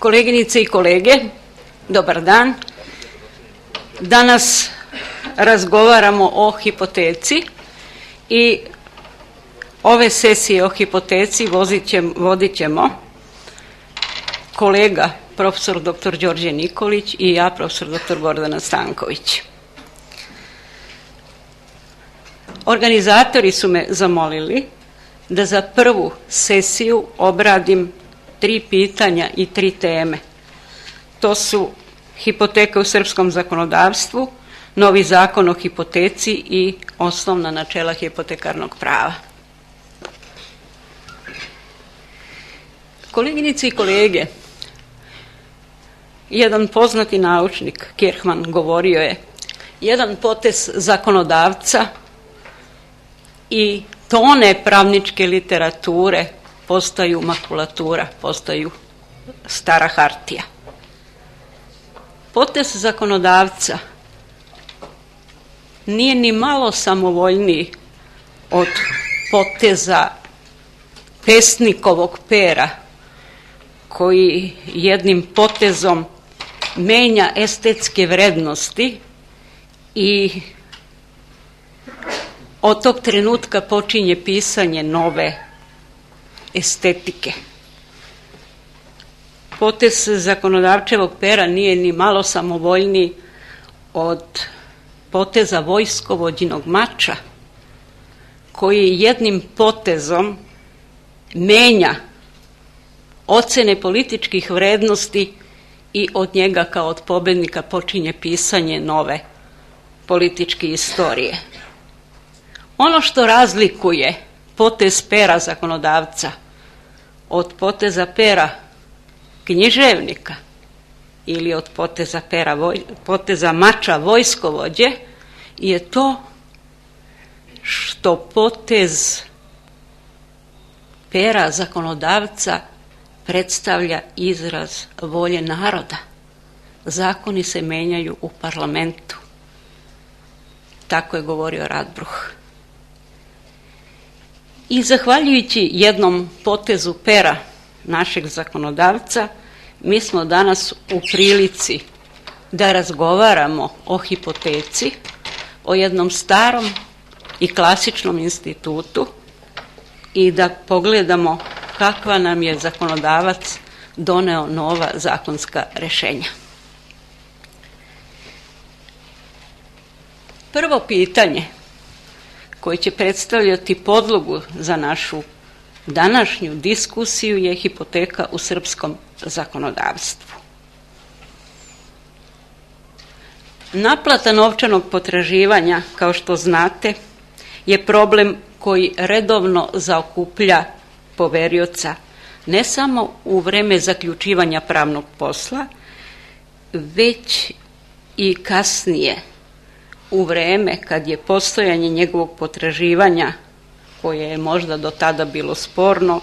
Koleginice i kolege, dobar dan. Danas razgovaramo o hipoteci i ove sesije o hipoteci vodit ćemo kolega profesor dr. Đorđe Nikolić i ja, profesor dr. Gordana Stanković. Organizatori su me zamolili da za prvu sesiju obradim 3 pitanja i 3 teme. To su hipoteka u srpskom zakonodavstvu, novi zakon o hipoteci i osnovna načela hipotekarnog prava. Koleginice i kolege, jedan poznati naučnik, Kirchmann, govorio je: jedan potez zakonodavca i tone pravničke literature postaju makulatura, postaju stara hartija. Potez zakonodavca nije ni malo samovoljniji od poteza pesnikovog pera, koji jednim potezom menja estetske vrednosti i od tog trenutka počinje pisanje nove estetike. Potez zakonodavčevog pera nije ni malo samovoljniji od poteza vojskovođinog mača, koji jednim potezom menja ocene političkih vrednosti i od njega kao od pobednika počinje pisanje nove političke istorije. Ono što razlikuje potez pera zakonodavca od poteza pera književnika ili od poteza mača vojskovođe je to što potez pera zakonodavca predstavlja izraz volje naroda. Zakoni se menjaju u parlamentu. Tako je govorio Radbruch. I zahvaljujući jednom potezu pera našeg zakonodavca, mi smo danas u prilici da razgovaramo o hipoteci, o jednom starom i klasičnom institutu i da pogledamo kakva nam je zakonodavac doneo nova zakonska rešenja. Prvo pitanje koje će predstavljati podlogu za našu današnju diskusiju je hipoteka u srpskom zakonodavstvu. Naplata novčanog potraživanja, kao što znate, je problem koji redovno zaokuplja poverioca ne samo u vreme zaključivanja pravnog posla, već i kasnije, u vreme kad je postojanje njegovog potraživanja, koje je možda do tada bilo sporno,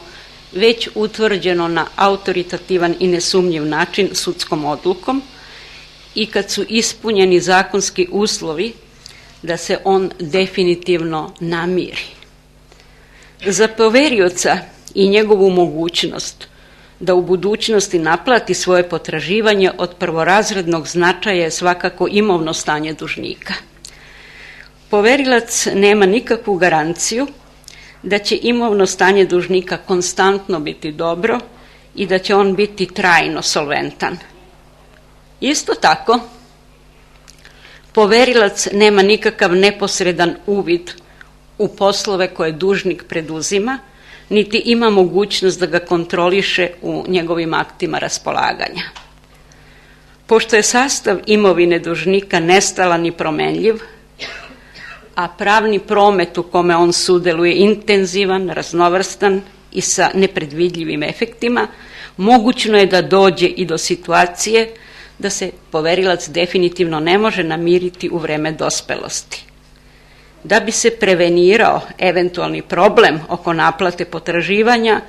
već utvrđeno na autoritativan i nesumnjiv način sudskom odlukom i kad su ispunjeni zakonski uslovi da se on definitivno namiri. Za poverioca i njegovu mogućnost da u budućnosti naplati svoje potraživanje od prvorazrednog značaja je svakako imovno stanje dužnika. Poverilac nema nikakvu garanciju da će imovno stanje dužnika konstantno biti dobro i da će on biti trajno solventan. Isto tako, poverilac nema nikakav neposredan uvid u poslove koje dužnik preduzima, niti ima mogućnost da ga kontroliše u njegovim aktima raspolaganja. Pošto je sastav imovine dužnika nestalan i promenljiv, a pravni promet u kome on sudeluje intenzivan, raznovrstan i sa nepredvidljivim efektima, mogućno je da dođe i do situacije da se poverilac definitivno ne može namiriti u vreme dospelosti. Da bi se prevenirao eventualni problem oko naplate potraživanja,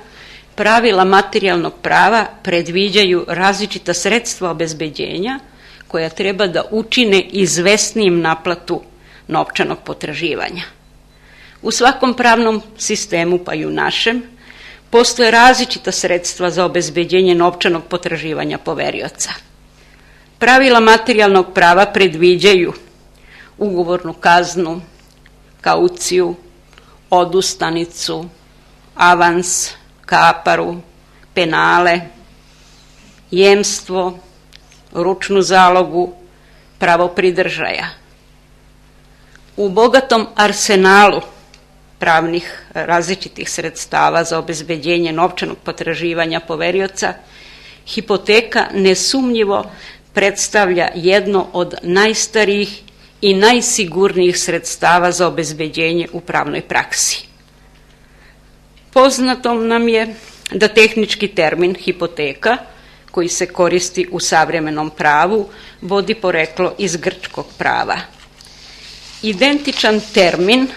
pravila materijalnog prava predviđaju različita sredstva obezbeđenja koja treba da učine izvesnijim naplatu novčanog potraživanja. U svakom pravnom sistemu, pa i u našem, Postoje različita sredstva za obezbeđenje novčanog potraživanja poverioca. Pravila materijalnog prava predviđaju ugovornu kaznu, kauciju, odustanicu, avans, kaparu, penale, jemstvo, ručnu zalogu, pravo pridržaja. U bogatom arsenalu pravnih različitih sredstava za obezbeđenje novčanog potraživanja poverioca, hipoteka nesumnjivo predstavlja jedno od najstarijih i najsigurnijih sredstava za obezbeđenje u pravnoj praksi. Poznato nam je da tehnički termin hipoteka, koji se koristi u savremenom pravu, vodi poreklo iz grčkog prava. Identičan termin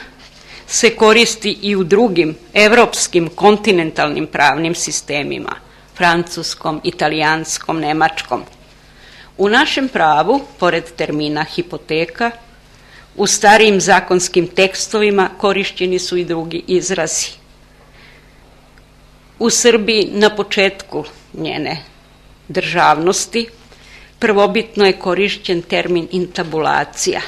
se koristi i u drugim evropskim kontinentalnim pravnim sistemima, francuskom, italijanskom, nemačkom. U našem pravu, pored termina hipoteka, u starijim zakonskim tekstovima korišćeni su i drugi izrazi. U Srbiji na početku njene državnosti prvobitno je korišćen termin intabulacija,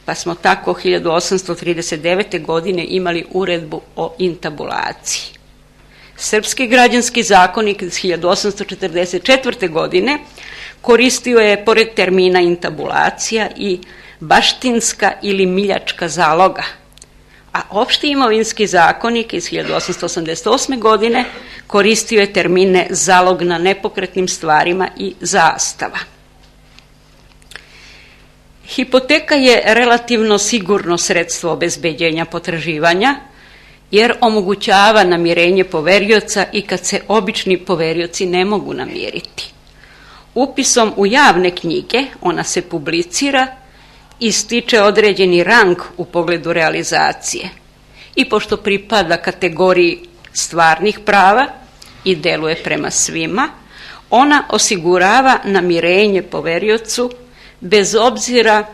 pa smo tako 1839. godine imali uredbu o intabulaciji. Srpski građanski zakonik iz 1844. godine koristio je pored termina intabulacija i baštinska ili miljačka zaloga, a opšti imovinski zakonik iz 1888. godine koristio je termine zalog na nepokretnim stvarima i zastava. Hipoteka je relativno sigurno sredstvo obezbeđenja potraživanja, jer omogućava namirenje poverioca i kad se obični poverioci ne mogu namiriti. Upisom u javne knjige ona se publicira i stiče određeni rang u pogledu realizacije. I pošto pripada kategoriji stvarnih prava i deluje prema svima, ona osigurava namirenje poveriocu bez obzira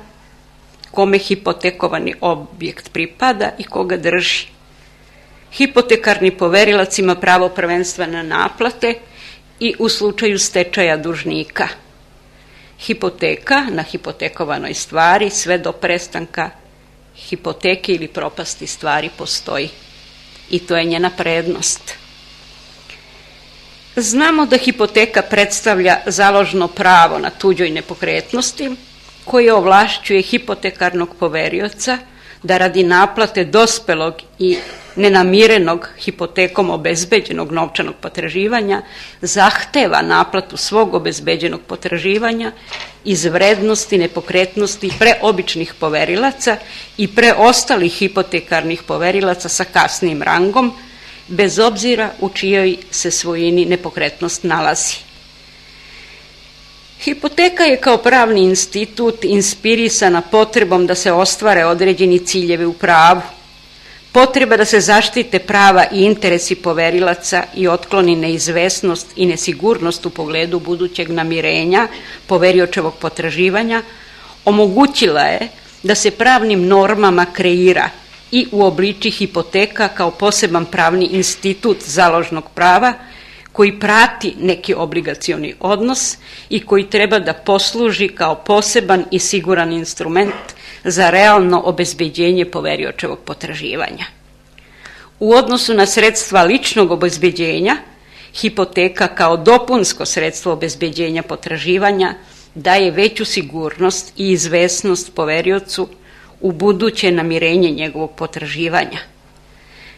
kome hipotekovani objekt pripada i koga drži. Hipotekarni poverilac ima pravo prvenstva na naplate i u slučaju stečaja dužnika. Hipoteka na hipotekovanoj stvari sve do prestanka hipoteke ili propasti stvari postoji. I to je njena prednost. Znamo da hipoteka predstavlja založno pravo na tuđoj nepokretnosti koje ovlašćuje hipotekarnog poverioca da radi naplate dospelog i nenamirenog hipotekom obezbeđenog novčanog potraživanja zahteva naplatu svog obezbeđenog potraživanja iz vrednosti nepokretnosti preobičnih poverilaca i preostalih hipotekarnih poverilaca sa kasnijim rangom, bez obzira u čijoj se svojini nepokretnost nalazi. Hipoteka je kao pravni institut inspirisana potrebom da se ostvare određeni ciljevi u pravu, potreba da se zaštite prava i interesi poverilaca i otkloni neizvesnost i nesigurnost u pogledu budućeg namirenja poveriočevog potraživanja, omogućila je da se pravnim normama kreira i uobliči hipoteka kao poseban pravni institut založnog prava koji prati neki obligacioni odnos i koji treba da posluži kao poseban i siguran instrument za realno obezbeđenje poveriočevog potraživanja. U odnosu na sredstva ličnog obezbeđenja, hipoteka kao dopunsko sredstvo obezbeđenja potraživanja daje veću sigurnost i izvesnost poveriocu u buduće namirenje njegovog potraživanja.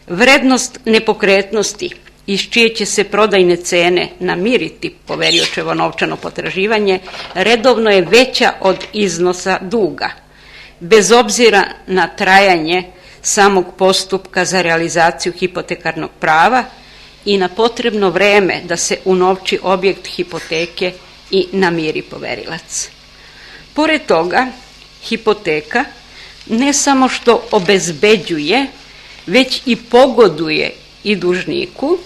Vrednost nepokretnosti iz čije će se prodajne cene namiriti poveriočevo novčano potraživanje redovno je veća od iznosa duga, bez obzira na trajanje samog postupka za realizaciju hipotekarnog prava i na potrebno vreme da se unovči objekt hipoteke i namiri poverilac. Pored toga, hipoteka ne samo što obezbeđuje, već i pogoduje i dužniku,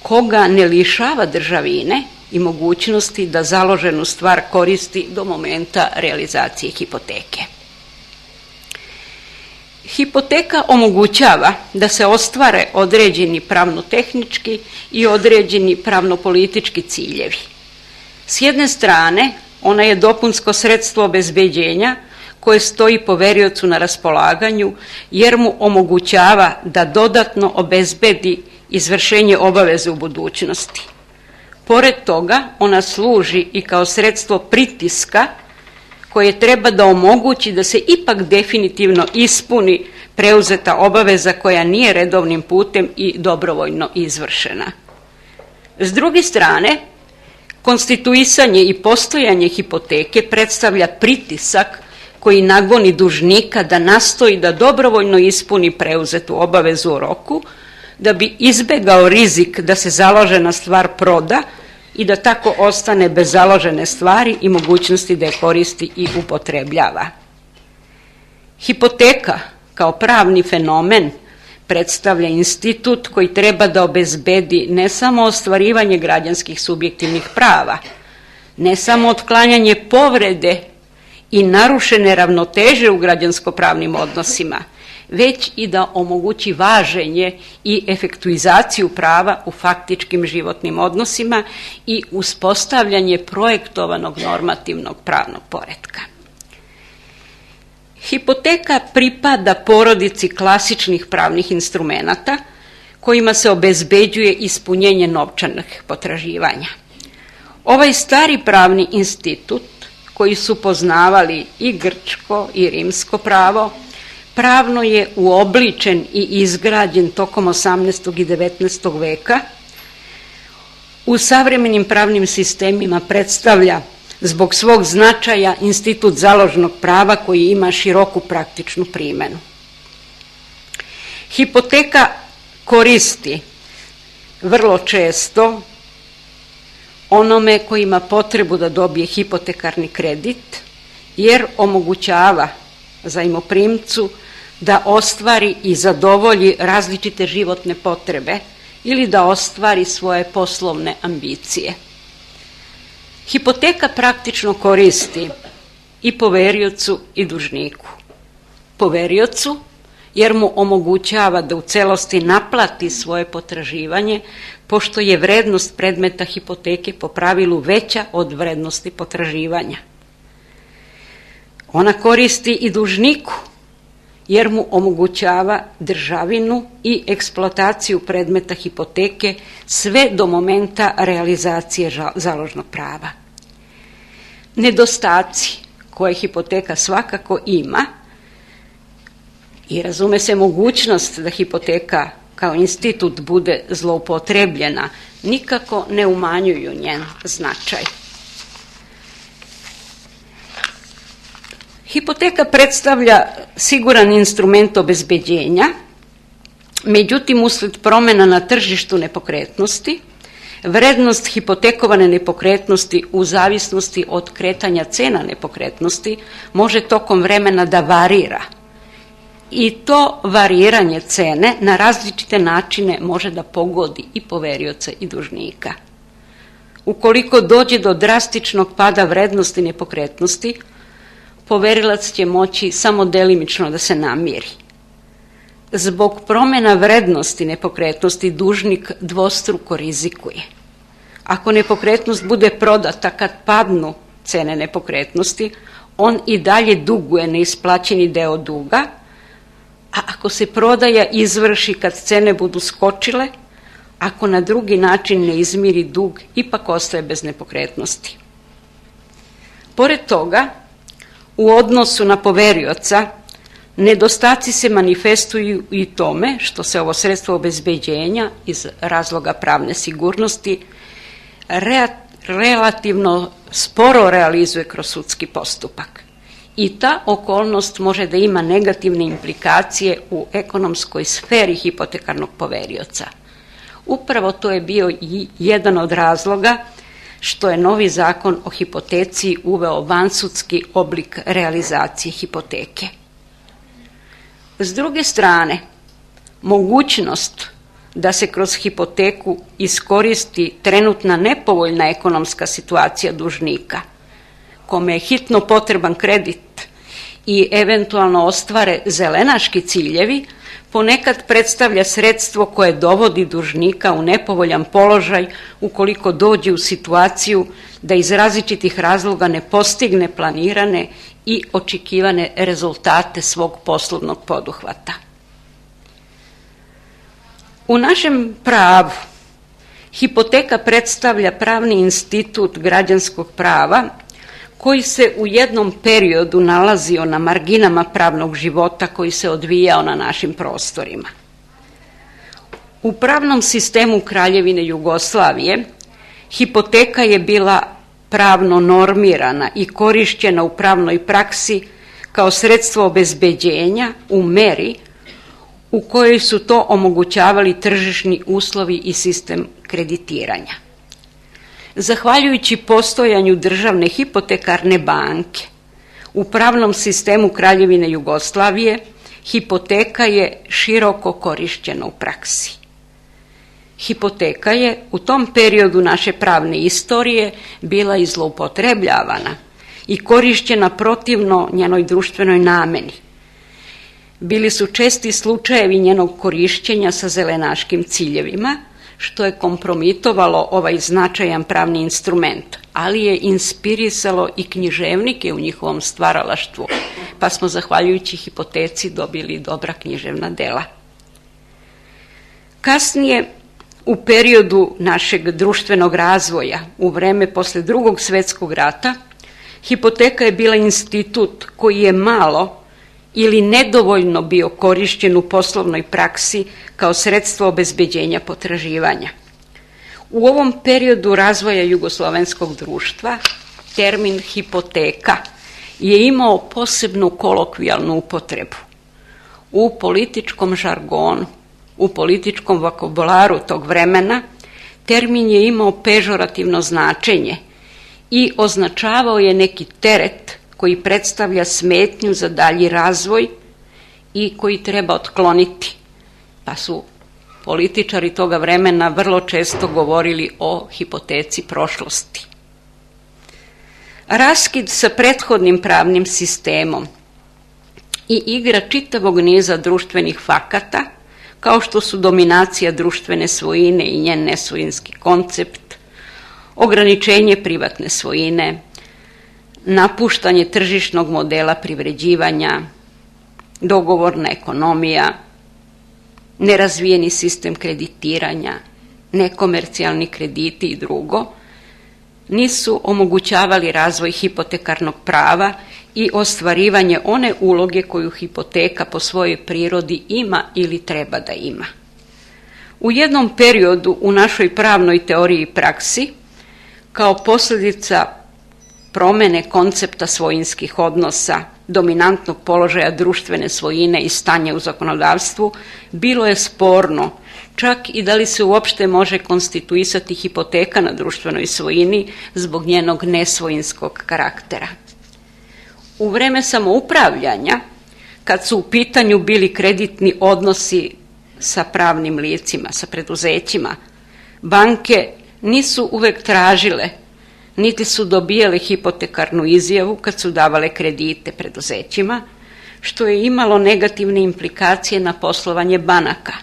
koga ne lišava državine i mogućnosti da založenu stvar koristi do momenta realizacije hipoteke. Hipoteka omogućava da se ostvare određeni pravno-tehnički i određeni pravno-politički ciljevi. S jedne strane, ona je dopunsko sredstvo obezbeđenja koje stoji poveriocu na raspolaganju jer mu omogućava da dodatno obezbedi izvršenje obaveze u budućnosti. Pored toga, ona služi i kao sredstvo pritiska koje treba da omogući da se ipak definitivno ispuni preuzeta obaveza koja nije redovnim putem i dobrovoljno izvršena. S druge strane, konstituisanje i postojanje hipoteke predstavlja pritisak koji nagoni dužnika da nastoji da dobrovoljno ispuni preuzetu obavezu u roku, da bi izbegao rizik da se založena stvar proda i da tako ostane bez založene stvari i mogućnosti da je koristi i upotrebljava. Hipoteka kao pravni fenomen predstavlja institut koji treba da obezbedi ne samo ostvarivanje građanskih subjektivnih prava, ne samo otklanjanje povrede i narušene ravnoteže u građansko-pravnim odnosima, već i da omogući važenje i efektuizaciju prava u faktičkim životnim odnosima i uspostavljanje projektovanog normativnog pravnog poretka. Hipoteka pripada porodici klasičnih pravnih instrumenata kojima se obezbeđuje ispunjenje novčanih potraživanja. Ovaj stari pravni institut, koji su poznavali i grčko i rimsko pravo, pravno je uobličen i izgrađen tokom 18. i 19. veka. U savremenim pravnim sistemima predstavlja zbog svog značaja institut založnog prava koji ima široku praktičnu primenu. Hipoteka koristi vrlo često onome koji ima potrebu da dobije hipotekarni kredit, jer omogućava zajmoprimcu da ostvari i zadovolji različite životne potrebe ili da ostvari svoje poslovne ambicije. Hipoteka praktično koristi i poveriocu i dužniku. Poveriocu jer mu omogućava da u celosti naplati svoje potraživanje, pošto je vrednost predmeta hipoteke po pravilu veća od vrednosti potraživanja. Ona koristi i dužniku, jer mu omogućava državinu i eksploataciju predmeta hipoteke sve do momenta realizacije založnog prava. Nedostaci koje hipoteka svakako ima i razume se mogućnost da hipoteka kao institut bude zloupotrebljena, nikako ne umanjuju njen značaj. Hipoteka predstavlja siguran instrument obezbeđenja, međutim, usled promjena na tržištu nepokretnosti, vrednost hipotekovane nepokretnosti u zavisnosti od kretanja cena nepokretnosti može tokom vremena da varira. I to variranje cene na različite načine može da pogodi i poverioca i dužnika. Ukoliko dođe do drastičnog pada vrednosti nepokretnosti, poverilac će moći samo delimično da se namiri. Zbog promjena vrednosti nepokretnosti dužnik dvostruko rizikuje. Ako nepokretnost bude prodata kad padnu cene nepokretnosti, on i dalje duguje neisplaćeni deo duga, a ako se prodaja izvrši kad cene budu skočile, ako na drugi način ne izmiri dug, ipak ostaje bez nepokretnosti. Pored toga, u odnosu na poverioca, nedostaci se manifestuju i tome što se ovo sredstvo obezbeđenja iz razloga pravne sigurnosti relativno sporo realizuje kroz sudski postupak. I ta okolnost može da ima negativne implikacije u ekonomskoj sferi hipotekarnog poverioca. Upravo to je bio i jedan od razloga što je novi zakon o hipoteci uveo vansudski oblik realizacije hipoteke. S druge strane, mogućnost da se kroz hipoteku iskoristi trenutna nepovoljna ekonomska situacija dužnika, kome je hitno potreban kredit i eventualno ostvare zelenaški ciljevi, ponekad predstavlja sredstvo koje dovodi dužnika u nepovoljan položaj ukoliko dođe u situaciju da iz različitih razloga ne postigne planirane i očekivane rezultate svog poslovnog poduhvata. U našem pravu hipoteka predstavlja pravni institut građanskog prava koji se u jednom periodu nalazio na marginama pravnog života koji se odvijao na našim prostorima. U pravnom sistemu Kraljevine Jugoslavije hipoteka je bila pravno normirana i korišćena u pravnoj praksi kao sredstvo obezbeđenja u meri u kojoj su to omogućavali tržišni uslovi i sistem kreditiranja. Zahvaljujući postojanju državne hipotekarne banke u pravnom sistemu Kraljevine Jugoslavije, hipoteka je široko korišćena u praksi. Hipoteka je u tom periodu naše pravne istorije bila i zloupotrebljavana i korišćena protivno njenoj društvenoj nameni. Bili su česti slučajevi njenog korišćenja sa zelenaškim ciljevima, što je kompromitovalo ovaj značajan pravni instrument, ali je inspirisalo i književnike u njihovom stvaralaštvu, pa smo zahvaljujući hipoteci dobili dobra književna dela. Kasnije, u periodu našeg društvenog razvoja, u vreme posle Drugog svjetskog rata, hipoteka je bila institut koji je malo ili nedovoljno bio korišćen u poslovnoj praksi kao sredstvo obezbeđenja potraživanja. U ovom periodu razvoja jugoslovenskog društva termin hipoteka je imao posebnu kolokvijalnu upotrebu. U političkom žargonu, u političkom vokabularu tog vremena, termin je imao pežorativno značenje i označavao je neki teret koji predstavlja smetnju za dalji razvoj i koji treba otkloniti, pa su političari toga vremena vrlo često govorili o hipoteci prošlosti. Raskid sa prethodnim pravnim sistemom i igra čitavog niza društvenih fakata, kao što su dominacija društvene svojine i njen nesvojinski koncept, ograničenje privatne svojine, napuštanje tržišnog modela privređivanja, dogovorna ekonomija, nerazvijeni sistem kreditiranja, nekomercijalni krediti i drugo, nisu omogućavali razvoj hipotekarnog prava i ostvarivanje one uloge koju hipoteka po svojoj prirodi ima ili treba da ima. U jednom periodu u našoj pravnoj teoriji i praksi, kao posljedica promene koncepta svojinskih odnosa, dominantnog položaja društvene svojine i stanja u zakonodavstvu, bilo je sporno čak i da li se uopšte može konstituisati hipoteka na društvenoj svojini zbog njenog nesvojinskog karaktera. U vreme samoupravljanja, kad su u pitanju bili kreditni odnosi sa pravnim licima, sa preduzećima, banke nisu uvek tražile, niti su dobijale hipotekarnu izjavu kad su davale kredite preduzećima, što je imalo negativne implikacije na poslovanje banaka,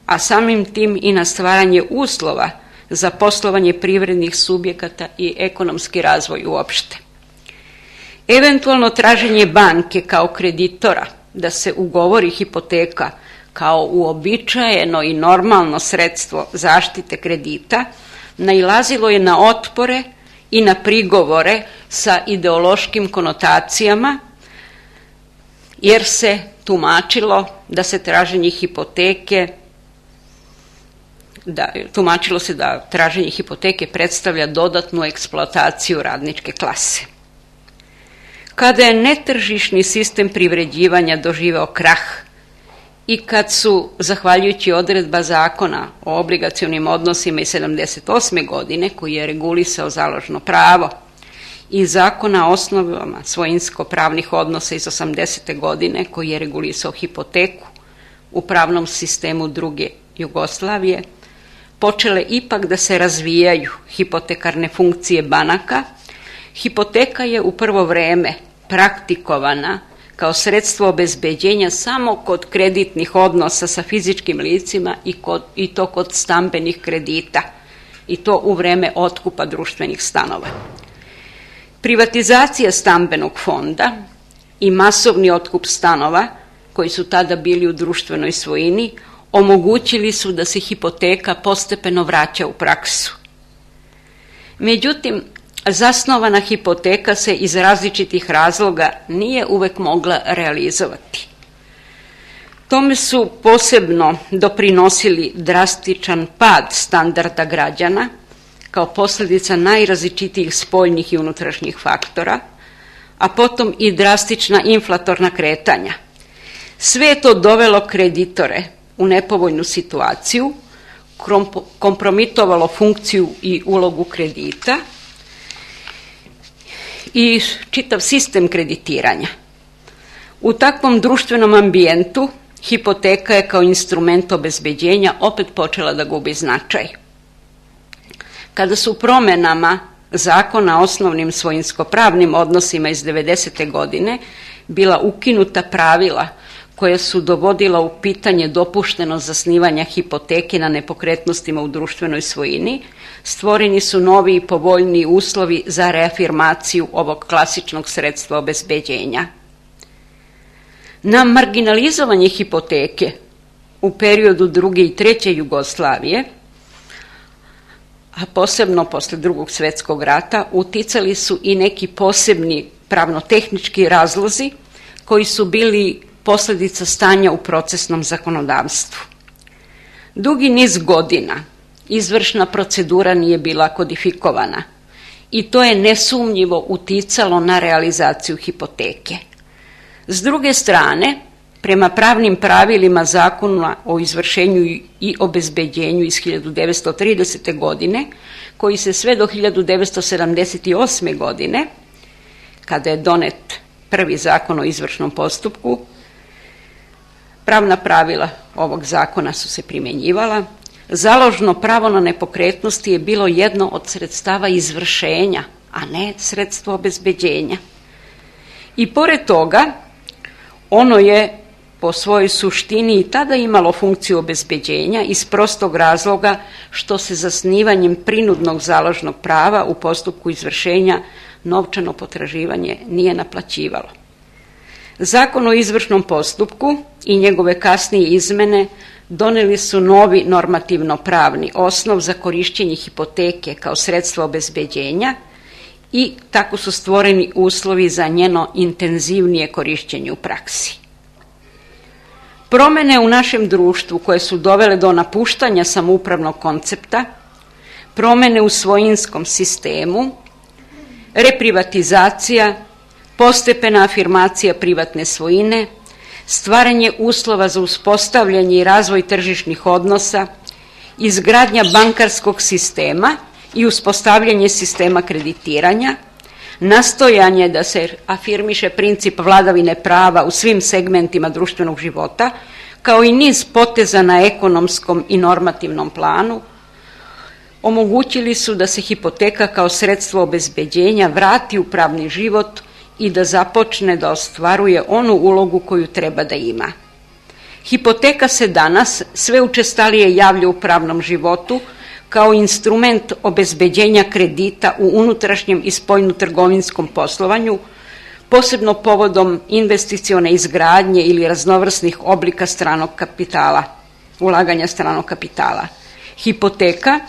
a samim tim i na stvaranje uslova za poslovanje privrednih subjekata i ekonomski razvoj uopšte. Eventualno traženje banke kao kreditora da se ugovori hipoteka kao uobičajeno i normalno sredstvo zaštite kredita nailazilo je na otpore i na prigovore sa ideološkim konotacijama, jer se tumačilo da se traženje hipoteke tumačilo se da traženje hipoteke predstavlja dodatnu eksploataciju radničke klase. Kada je netržišni sistem privređivanja doživeo krah i kad su, zahvaljujući odredba zakona o obligacionim odnosima iz 1978. godine, koji je regulisao založno pravo, i zakona o osnovama svojinsko-pravnih odnosa iz 1980. godine, koji je regulisao hipoteku u pravnom sistemu druge Jugoslavije, počele ipak da se razvijaju hipotekarne funkcije banaka, hipoteka je u prvo vreme praktikovana kao sredstvo obezbeđenja samo kod kreditnih odnosa sa fizičkim licima i to kod stambenih kredita, i to u vreme otkupa društvenih stanova. Privatizacija stambenog fonda i masovni otkup stanova, koji su tada bili u društvenoj svojini, omogućili su da se hipoteka postepeno vraća u praksu. Međutim, zasnovana hipoteka se iz različitih razloga nije uvek mogla realizovati. Tome su posebno doprinosili drastičan pad standarda građana kao posljedica najrazličitijih spoljnih i unutrašnjih faktora, a potom i drastična inflatorna kretanja. Sve je to dovelo kreditore u nepovoljnu situaciju, kompromitovalo funkciju i ulogu kredita i čitav sistem kreditiranja. U takvom društvenom ambijentu hipoteka je kao instrument obezbeđenja opet počela da gubi značaj. Kada su promjenama Zakona o osnovnim svojinsko-pravnim odnosima iz 90. godine bila ukinuta pravila koja su dovodila u pitanje dopušteno zasnivanja hipoteke na nepokretnostima u društvenoj svojini, stvoreni su novi i povoljniji uslovi za reafirmaciju ovog klasičnog sredstva obezbeđenja. Na marginalizovanje hipoteke u periodu druge i treće Jugoslavije, a posebno posle Drugog svjetskog rata, uticali su i neki posebni pravno-tehnički razlozi koji su bili posljedica stanja u procesnom zakonodavstvu. Dugi niz godina izvršna procedura nije bila kodifikovana i to je nesumnjivo uticalo na realizaciju hipoteke. S druge strane, prema pravnim pravilima Zakona o izvršenju i obezbeđenju iz 1930. godine, koji se sve do 1978. godine, kada je donet prvi Zakon o izvršnom postupku, pravna pravila ovog zakona su se primjenjivala. Založno pravo na nepokretnosti je bilo jedno od sredstava izvršenja, a ne sredstvo obezbeđenja. I pored toga, ono je po svojoj suštini i tada imalo funkciju obezbeđenja iz prostog razloga što se zasnivanjem prinudnog založnog prava u postupku izvršenja novčano potraživanje nije naplaćivalo. Zakon o izvršnom postupku i njegove kasnije izmene doneli su novi normativno-pravni osnov za korištenje hipoteke kao sredstva obezbeđenja i tako su stvoreni uslovi za njeno intenzivnije korištenje u praksi. Promjene u našem društvu koje su dovele do napuštanja samoupravnog koncepta, promjene u svojinskom sistemu, reprivatizacija, postepena afirmacija privatne svojine, stvaranje uslova za uspostavljanje i razvoj tržišnih odnosa, izgradnja bankarskog sistema i uspostavljanje sistema kreditiranja, nastojanje da se afirmiše princip vladavine prava u svim segmentima društvenog života, kao i niz poteza na ekonomskom i normativnom planu, omogućili su da se hipoteka kao sredstvo obezbeđenja vrati u pravni život i da započne da ostvaruje onu ulogu koju treba da ima. Hipoteka se danas sve učestalije javlja u pravnom životu kao instrument obezbeđenja kredita u unutrašnjem i spoljno-trgovinskom poslovanju, posebno povodom investicione izgradnje ili raznovrsnih oblika stranog kapitala, ulaganja stranog kapitala. Hipoteka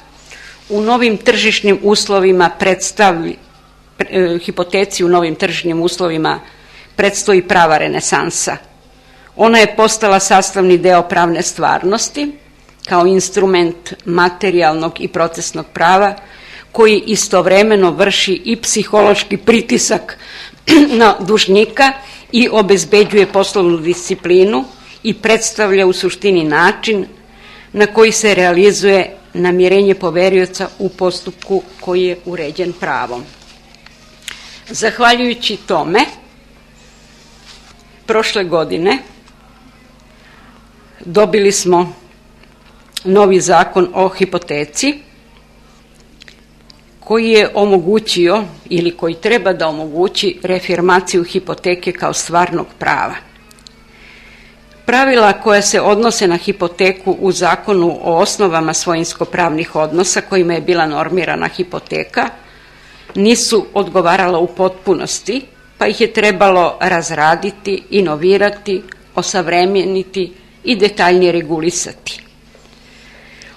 u novim tržišnim uslovima hipoteci u novim tržišnim uslovima predstoji prava renesansa. Ona je postala sastavni deo pravne stvarnosti kao instrument materijalnog i procesnog prava koji istovremeno vrši i psihološki pritisak na dužnika i obezbeđuje poslovnu disciplinu i predstavlja u suštini način na koji se realizuje namirenje poverioca u postupku koji je uređen pravom. Zahvaljujući tome, prošle godine dobili smo novi zakon o hipoteci koji je omogućio ili koji treba da omogući reafirmaciju hipoteke kao stvarnog prava. Pravila koja se odnose na hipoteku u Zakonu o osnovama svojinsko-pravnih odnosa kojima je bila normirana hipoteka nisu odgovarala u potpunosti, pa ih je trebalo razraditi, inovirati, osavremeniti i detaljnije regulisati.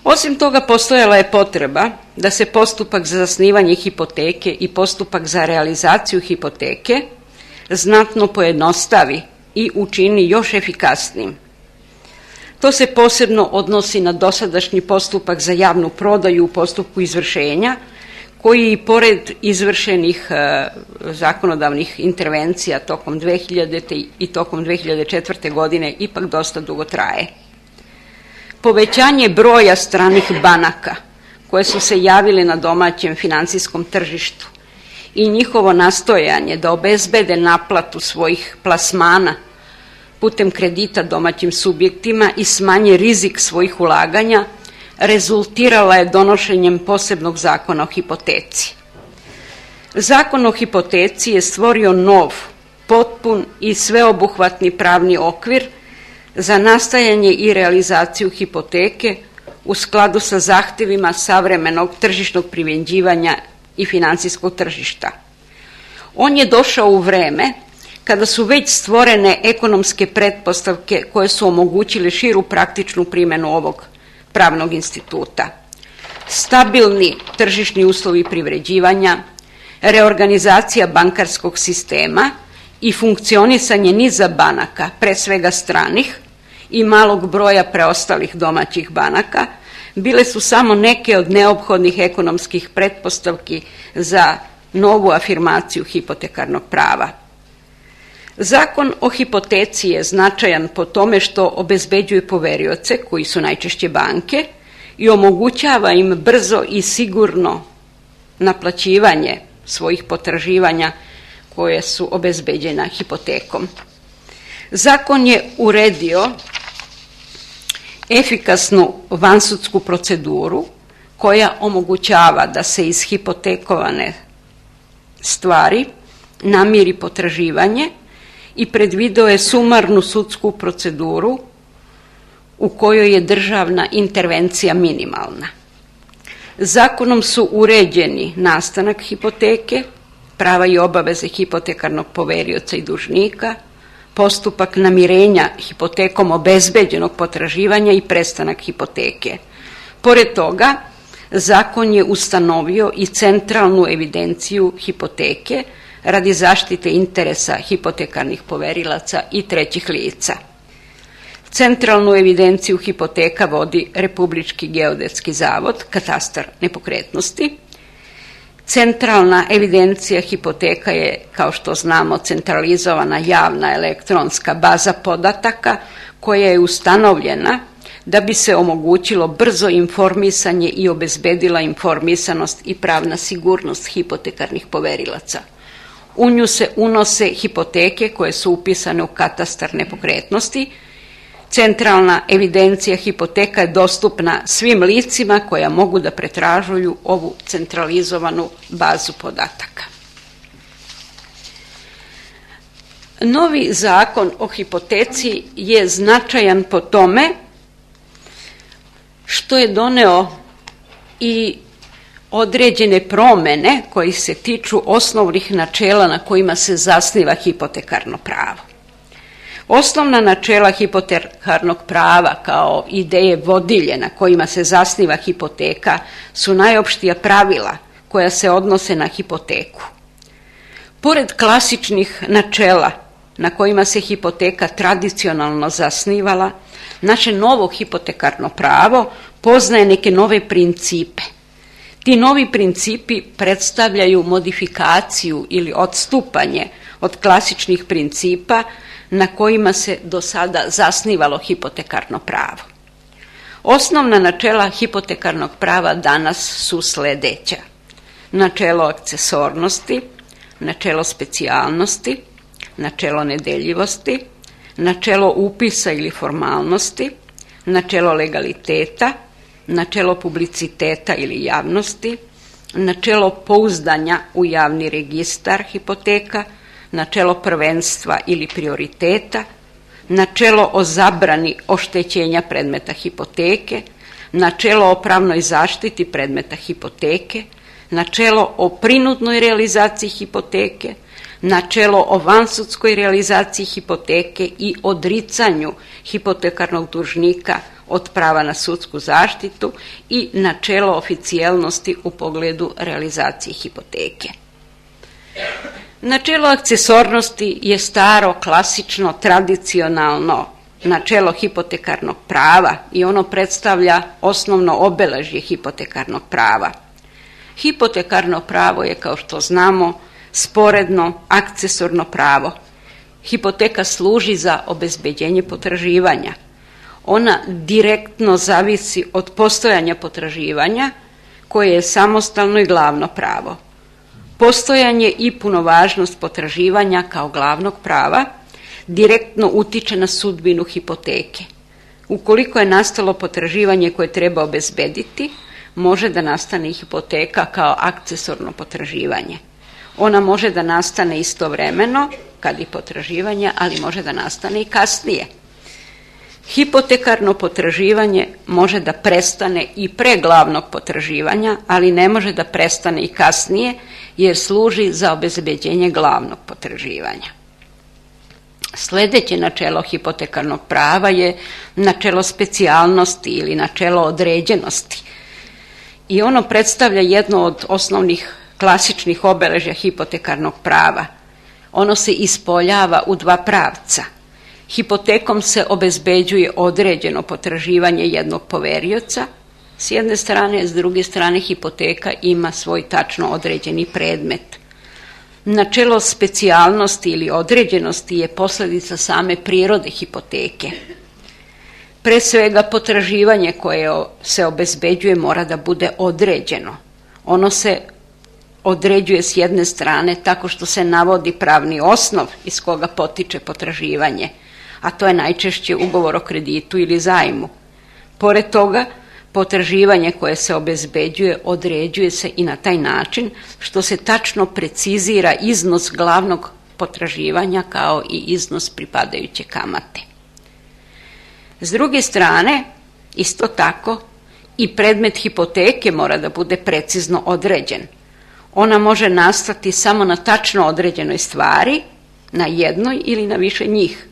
Osim toga, postojala je potreba da se postupak za zasnivanje hipoteke i postupak za realizaciju hipoteke znatno pojednostavi i učini još efikasnijim. To se posebno odnosi na dosadašnji postupak za javnu prodaju u postupku izvršenja, koji i pored izvršenih zakonodavnih intervencija tokom 2000. i tokom 2004. godine ipak dosta dugo traje. Povećanje broja stranih banaka koje su se javile na domaćem financijskom tržištu i njihovo nastojanje da obezbede naplatu svojih plasmana putem kredita domaćim subjektima i smanje rizik svojih ulaganja rezultirala je donošenjem posebnog zakona o hipoteci. Zakon o hipoteci je stvorio nov, potpun i sveobuhvatni pravni okvir za nastajanje i realizaciju hipoteke u skladu sa zahtjevima savremenog tržišnog privređivanja i financijskog tržišta. On je došao u vreme kada su već stvorene ekonomske pretpostavke koje su omogućile širu praktičnu primjenu ovog pravnog instituta. Stabilni tržišni uslovi privređivanja, reorganizacija bankarskog sistema i funkcionisanje niza banaka, pre svega stranih, i malog broja preostalih domaćih banaka, bile su samo neke od neophodnih ekonomskih pretpostavki za novu afirmaciju hipotekarnog prava. Zakon o hipoteci je značajan po tome što obezbeđuje poverioce, koji su najčešće banke, i omogućava im brzo i sigurno naplaćivanje svojih potraživanja koje su obezbeđena hipotekom. Zakon je uredio efikasnu vansudsku proceduru koja omogućava da se iz hipotekovane stvari namiri potraživanje i predvideo je sumarnu sudsku proceduru u kojoj je državna intervencija minimalna. Zakonom su uređeni nastanak hipoteke, prava i obaveze hipotekarnog poverioca i dužnika, postupak namirenja hipotekom obezbeđenog potraživanja i prestanak hipoteke. Pored toga, zakon je ustanovio i centralnu evidenciju hipoteke radi zaštite interesa hipotekarnih poverilaca i trećih lica. Centralnu evidenciju hipoteka vodi Republički geodetski zavod, katastar nepokretnosti. Centralna evidencija hipoteka je, kao što znamo, centralizovana javna elektronska baza podataka koja je ustanovljena da bi se omogućilo brzo informisanje i obezbedila informisanost i pravna sigurnost hipotekarnih poverilaca. U nju se unose hipoteke koje su upisane u katastar nepokretnosti. Centralna evidencija hipoteka je dostupna svim licima koja mogu da pretražuju ovu centralizovanu bazu podataka. Novi zakon o hipoteci je značajan po tome što je doneo i određene promene koji se tiču osnovnih načela na kojima se zasniva hipotekarno pravo. Osnovna načela hipotekarnog prava kao ideje vodilje na kojima se zasniva hipoteka su najopštija pravila koja se odnose na hipoteku. Pored klasičnih načela na kojima se hipoteka tradicionalno zasnivala, naše novo hipotekarno pravo poznaje neke nove principe. Ti novi principi predstavljaju modifikaciju ili odstupanje od klasičnih principa na kojima se do sada zasnivalo hipotekarno pravo. Osnovna načela hipotekarnog prava danas su sledeća: načelo akcesornosti, načelo specijalnosti, načelo nedeljivosti, načelo upisa ili formalnosti, načelo legaliteta, načelo publiciteta ili javnosti, načelo pouzdanja u javni registar hipoteka, načelo prvenstva ili prioriteta, načelo o zabrani oštećenja predmeta hipoteke, načelo o pravnoj zaštiti predmeta hipoteke, načelo o prinudnoj realizaciji hipoteke, načelo o vansudskoj realizaciji hipoteke i odricanju hipotekarnog dužnika od prava na sudsku zaštitu i načelo oficijelnosti u pogledu realizacije hipoteke. Načelo akcesornosti je staro, klasično, tradicionalno načelo hipotekarnog prava i ono predstavlja osnovno obeležje hipotekarnog prava. Hipotekarno pravo je, kao što znamo, sporedno akcesorno pravo. Hipoteka služi za obezbeđenje potraživanja. Ona direktno zavisi od postojanja potraživanja koje je samostalno i glavno pravo. Postojanje i punovažnost potraživanja kao glavnog prava direktno utiče na sudbinu hipoteke. Ukoliko je nastalo potraživanje koje treba obezbediti, može da nastane i hipoteka kao akcesorno potraživanje. Ona može da nastane istovremeno, kad i potraživanje, ali može da nastane i kasnije. Hipotekarno potraživanje može da prestane i pre glavnog potraživanja, ali ne može da prestane i kasnije, jer služi za obezbeđenje glavnog potraživanja. Sljedeće načelo hipotekarnog prava je načelo specijalnosti ili načelo određenosti. I ono predstavlja jedno od osnovnih klasičnih obeležja hipotekarnog prava. Ono se ispoljava u dva pravca. Hipotekom se obezbeđuje određeno potraživanje jednog poverioca, s jedne strane, s druge strane hipoteka ima svoj tačno određeni predmet. Načelo specijalnosti ili određenosti je posljedica same prirode hipoteke. Pre svega potraživanje koje se obezbeđuje mora da bude određeno. Ono se određuje s jedne strane tako što se navodi pravni osnov iz koga potiče potraživanje, a to je najčešće ugovor o kreditu ili zajmu. Pored toga, potraživanje koje se obezbeđuje određuje se i na taj način što se tačno precizira iznos glavnog potraživanja kao i iznos pripadajuće kamate. S druge strane, isto tako, i predmet hipoteke mora da bude precizno određen. Ona može nastati samo na tačno određenoj stvari, na jednoj ili na više njih.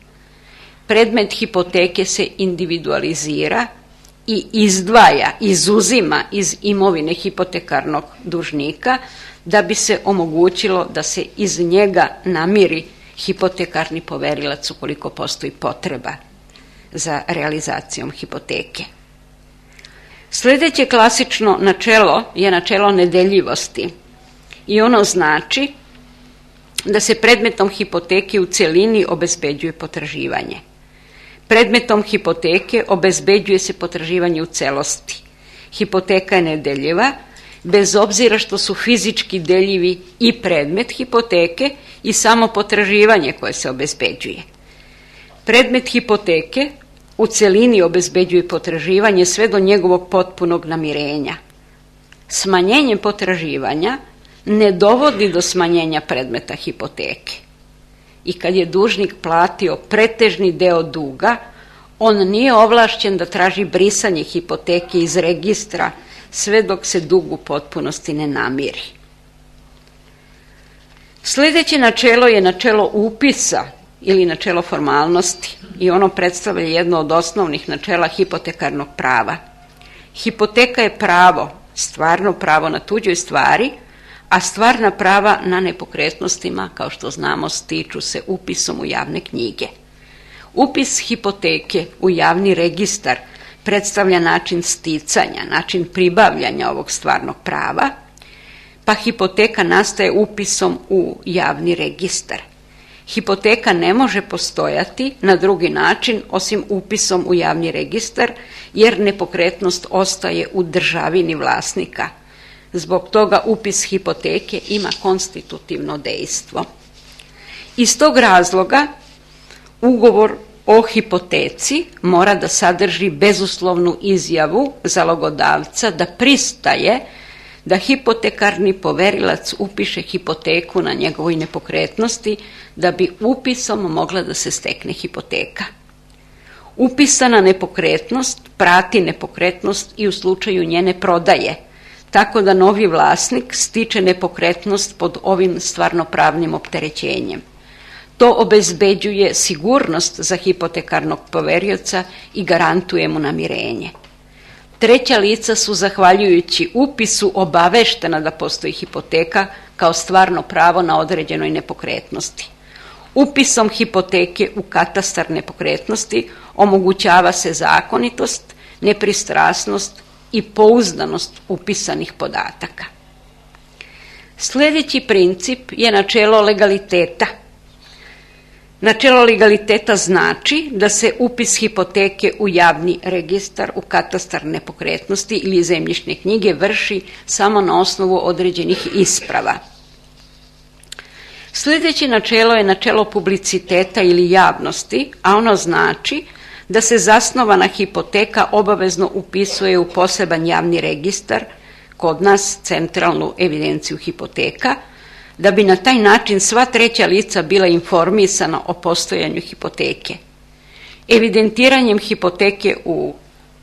Predmet hipoteke se individualizira i izdvaja, izuzima iz imovine hipotekarnog dužnika da bi se omogućilo da se iz njega namiri hipotekarni poverilac ukoliko postoji potreba za realizacijom hipoteke. Sljedeće klasično načelo je načelo nedeljivosti i ono znači da se predmetom hipoteke u cjelini obezbeđuje potraživanje. Predmetom hipoteke obezbeđuje se potraživanje u celosti. Hipoteka je nedeljiva, bez obzira što su fizički deljivi i predmet hipoteke i samo potraživanje koje se obezbeđuje. Predmet hipoteke u cjelini obezbeđuje potraživanje sve do njegovog potpunog namirenja. Smanjenje potraživanja ne dovodi do smanjenja predmeta hipoteke. I kad je dužnik platio pretežni deo duga, on nije ovlašćen da traži brisanje hipoteke iz registra sve dok se dug u potpunosti ne namiri. Sljedeće načelo je načelo upisa ili načelo formalnosti i ono predstavlja jedno od osnovnih načela hipotekarnog prava. Hipoteka je pravo, stvarno pravo na tuđoj stvari, a stvarna prava na nepokretnostima, kao što znamo, stiču se upisom u javne knjige. Upis hipoteke u javni registar predstavlja način sticanja, način pribavljanja ovog stvarnog prava, pa hipoteka nastaje upisom u javni registar. Hipoteka ne može postojati na drugi način osim upisom u javni registar, jer nepokretnost ostaje u državini vlasnika. Zbog toga upis hipoteke ima konstitutivno dejstvo. Iz tog razloga ugovor o hipoteci mora da sadrži bezuslovnu izjavu zalogodavca da pristaje da hipotekarni poverilac upiše hipoteku na njegovoj nepokretnosti da bi upisom mogla da se stekne hipoteka. Upisana nepokretnost prati nepokretnost i u slučaju njene prodaje, tako da novi vlasnik stiče nepokretnost pod ovim stvarnopravnim opterećenjem. To obezbeđuje sigurnost za hipotekarnog poverioca i garantuje mu namirenje. Treća lica su, zahvaljujući upisu, obaveštena da postoji hipoteka kao stvarno pravo na određenoj nepokretnosti. Upisom hipoteke u katastar nepokretnosti omogućava se zakonitost, nepristrasnost i pouzdanost upisanih podataka. Sljedeći princip je načelo legaliteta. Načelo legaliteta znači da se upis hipoteke u javni registar, u katastar nepokretnosti ili zemljišne knjige vrši samo na osnovu određenih isprava. Sljedeće načelo je načelo publiciteta ili javnosti, a ono znači da se zasnovana hipoteka obavezno upisuje u poseban javni registar, kod nas centralnu evidenciju hipoteka, da bi na taj način sva treća lica bila informisana o postojanju hipoteke. Evidentiranjem hipoteke u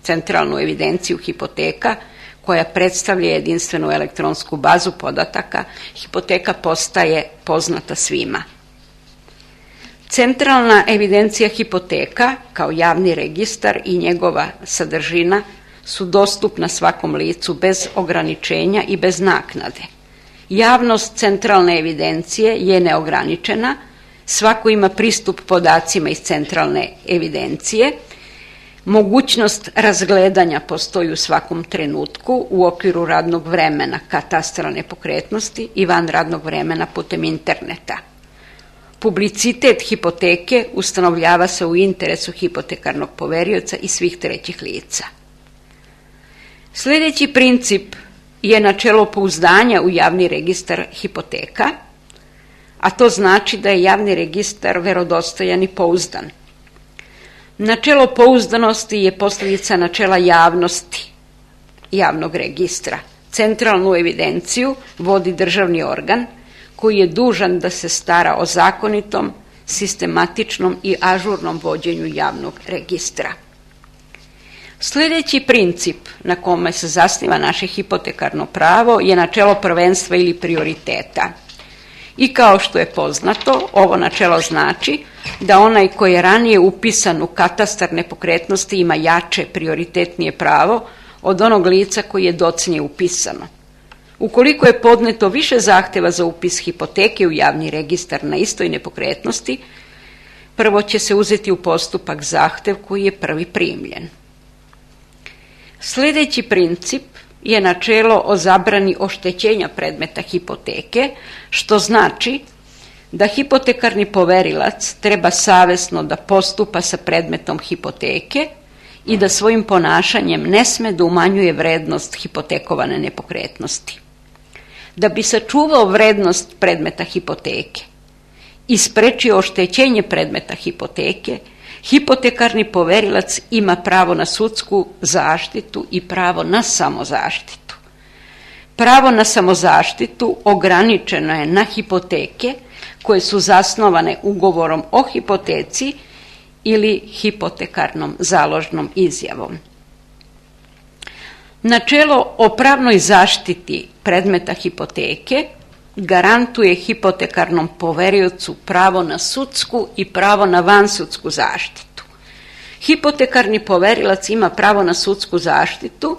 centralnu evidenciju hipoteka, koja predstavlja jedinstvenu elektronsku bazu podataka, hipoteka postaje poznata svima. Centralna evidencija hipoteka kao javni registar i njegova sadržina su dostupna svakom licu bez ograničenja i bez naknade. Javnost centralne evidencije je neograničena, svako ima pristup podacima iz centralne evidencije, mogućnost razgledanja postoji u svakom trenutku u okviru radnog vremena katastra nepokretnosti i van radnog vremena putem interneta. Publicitet hipoteke ustanovljava se u interesu hipotekarnog poverioca i svih trećih lica. Sljedeći princip je načelo pouzdanja u javni registar hipoteka, a to znači da je javni registar verodostojan i pouzdan. Načelo pouzdanosti je posljedica načela javnosti javnog registra. Centralnu evidenciju vodi državni organ koji je dužan da se stara o zakonitom, sistematičnom i ažurnom vođenju javnog registra. Sljedeći princip na kome se zasniva naše hipotekarno pravo je načelo prvenstva ili prioriteta. I kao što je poznato, ovo načelo znači da onaj koji je ranije upisan u katastar nepokretnosti ima jače, prioritetnije pravo od onog lica koji je docnije upisano. Ukoliko je podneto više zahtjeva za upis hipoteke u javni registar na istoj nepokretnosti, prvo će se uzeti u postupak zahtjev koji je prvi primljen. Sljedeći princip je načelo o zabrani oštećenja predmeta hipoteke, što znači da hipotekarni poverilac treba savjesno da postupa sa predmetom hipoteke i da svojim ponašanjem ne sme da umanjuje vrednost hipotekovane nepokretnosti. Da bi sačuvao vrednost predmeta hipoteke i sprečio oštećenje predmeta hipoteke, hipotekarni poverilac ima pravo na sudsku zaštitu i pravo na samozaštitu. Pravo na samozaštitu ograničeno je na hipoteke koje su zasnovane ugovorom o hipoteci ili hipotekarnom založnom izjavom. Načelo o pravnoj zaštiti predmeta hipoteke garantuje hipotekarnom poveriocu pravo na sudsku i pravo na vansudsku zaštitu. Hipotekarni poverilac ima pravo na sudsku zaštitu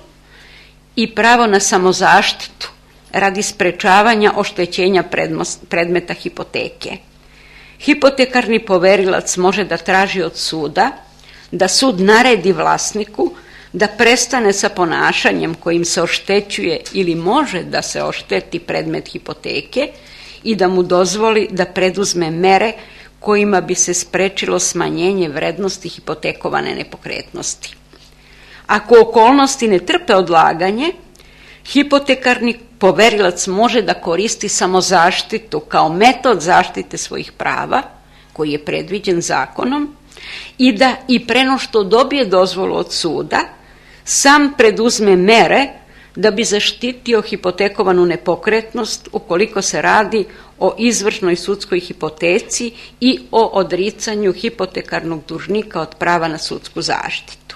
i pravo na samozaštitu radi sprečavanja oštećenja predmeta hipoteke. Hipotekarni poverilac može da traži od suda da sud naredi vlasniku da prestane sa ponašanjem kojim se oštećuje ili može da se ošteti predmet hipoteke i da mu dozvoli da preduzme mere kojima bi se sprečilo smanjenje vrednosti hipotekovane nepokretnosti. Ako okolnosti ne trpe odlaganje, hipotekarni poverilac može da koristi samozaštitu kao metod zaštite svojih prava, koji je predviđen zakonom, i da i preno što dobije dozvolu od suda, sam preduzme mere da bi zaštitio hipotekovanu nepokretnost ukoliko se radi o izvršnoj sudskoj hipoteci i o odricanju hipotekarnog dužnika od prava na sudsku zaštitu.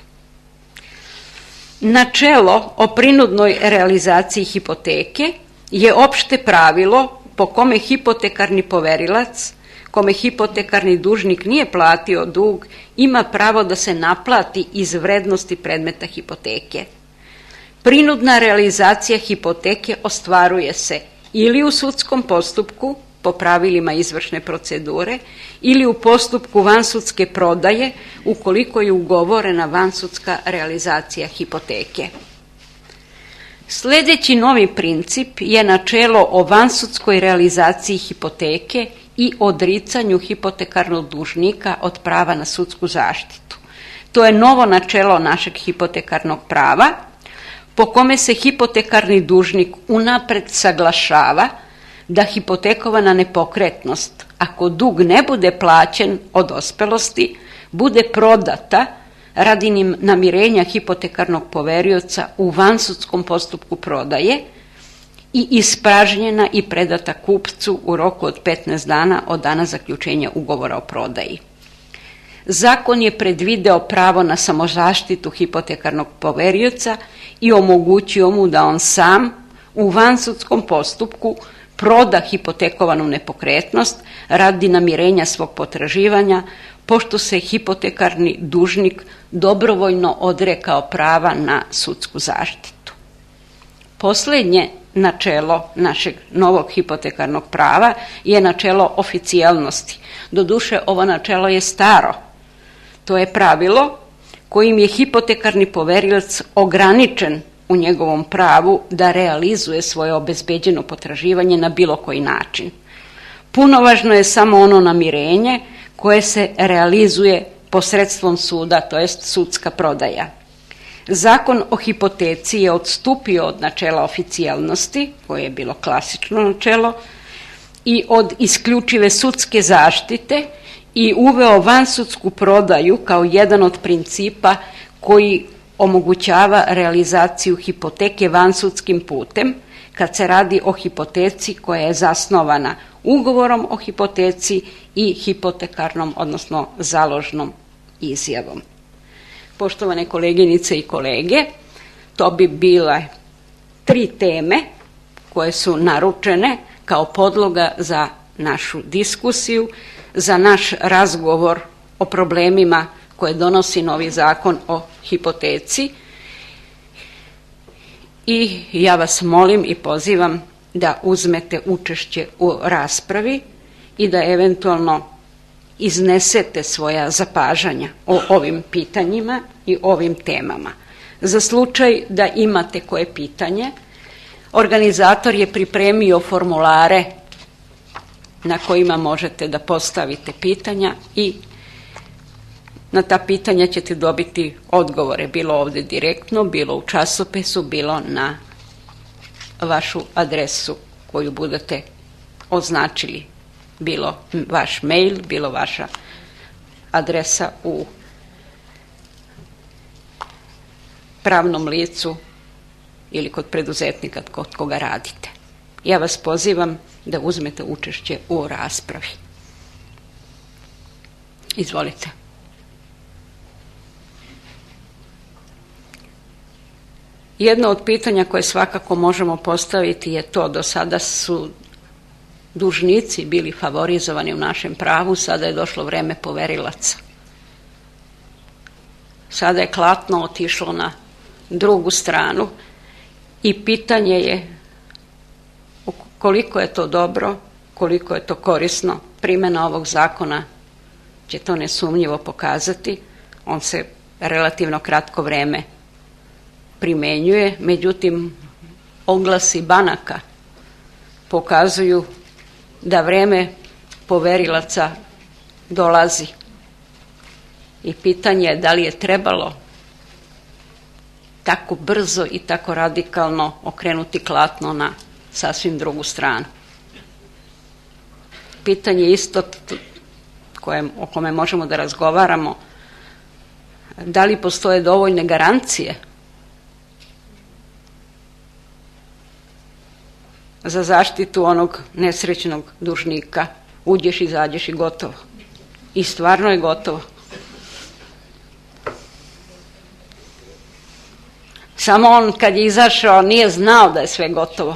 Načelo o prinudnoj realizaciji hipoteke je opšte pravilo po kome hipotekarni poverilac, kome hipotekarni dužnik nije platio dug, ima pravo da se naplati iz vrednosti predmeta hipoteke. Prinudna realizacija hipoteke ostvaruje se ili u sudskom postupku po pravilima izvršne procedure ili u postupku vansudske prodaje ukoliko je ugovorena vansudska realizacija hipoteke. Sljedeći novi princip je načelo o vansudskoj realizaciji hipoteke i odricanju hipotekarnog dužnika od prava na sudsku zaštitu. To je novo načelo našeg hipotekarnog prava po kome se hipotekarni dužnik unapred saglašava da hipotekovana nepokretnost, ako dug ne bude plaćen od dospelosti, bude prodata radi namirenja hipotekarnog poverioca u vansudskom postupku prodaje i ispražnjena i predata kupcu u roku od 15 dana od dana zaključenja ugovora o prodaji. Zakon je predvideo pravo na samozaštitu hipotekarnog poverioca i omogućio mu da on sam u vansudskom postupku proda hipotekovanu nepokretnost radi namirenja svog potraživanja, pošto se hipotekarni dužnik dobrovoljno odrekao prava na sudsku zaštitu. Posljednje načelo našeg novog hipotekarnog prava je načelo oficijalnosti. Doduše, ovo načelo je staro. To je pravilo kojim je hipotekarni poverilac ograničen u njegovom pravu da realizuje svoje obezbeđeno potraživanje na bilo koji način. Punovažno je samo ono namirenje koje se realizuje posredstvom suda, to jest sudska prodaja. Zakon o hipoteci je odstupio od načela oficijalnosti, koje je bilo klasično načelo, i od isključive sudske zaštite i uveo vansudsku prodaju kao jedan od principa koji omogućava realizaciju hipoteke vansudskim putem kad se radi o hipoteci koja je zasnovana ugovorom o hipoteci i hipotekarnom, odnosno založnom izjavom. Poštovane koleginice i kolege, to bi bile 3 teme koje su naručene kao podloga za našu diskusiju, za naš razgovor o problemima koje donosi novi zakon o hipoteci. I ja vas molim i pozivam da uzmete učešće u raspravi i da eventualno iznesete svoja zapažanja o ovim pitanjima i ovim temama. Za slučaj da imate koje pitanje, organizator je pripremio formulare na kojima možete da postavite pitanja i na ta pitanja ćete dobiti odgovore, bilo ovdje direktno, bilo u časopisu, bilo na vašu adresu koju budete označili, bilo vaš mail, bilo vaša adresa u pravnom licu ili kod preduzetnika kod koga radite. Ja vas pozivam da uzmete učešće u raspravi. Izvolite. Jedno od pitanja koje svakako možemo postaviti je to: do sada su dužnici bili favorizovani u našem pravu, sada je došlo vreme poverilaca. Sada je klatno otišlo na drugu stranu i pitanje je koliko je to dobro, koliko je to korisno. Primjena ovog zakona će to nesumnjivo pokazati. On se relativno kratko vreme primjenjuje, međutim oglasi banaka pokazuju da vreme poverilaca dolazi i pitanje je da li je trebalo tako brzo i tako radikalno okrenuti klatno na sasvim drugu stranu. Pitanje isto o kome možemo da razgovaramo, da li postoje dovoljne garancije za zaštitu onog nesrećnog dužnika. Uđeš, izađeš i gotovo. I stvarno je gotovo. Samo on kad je izašao nije znao da je sve gotovo.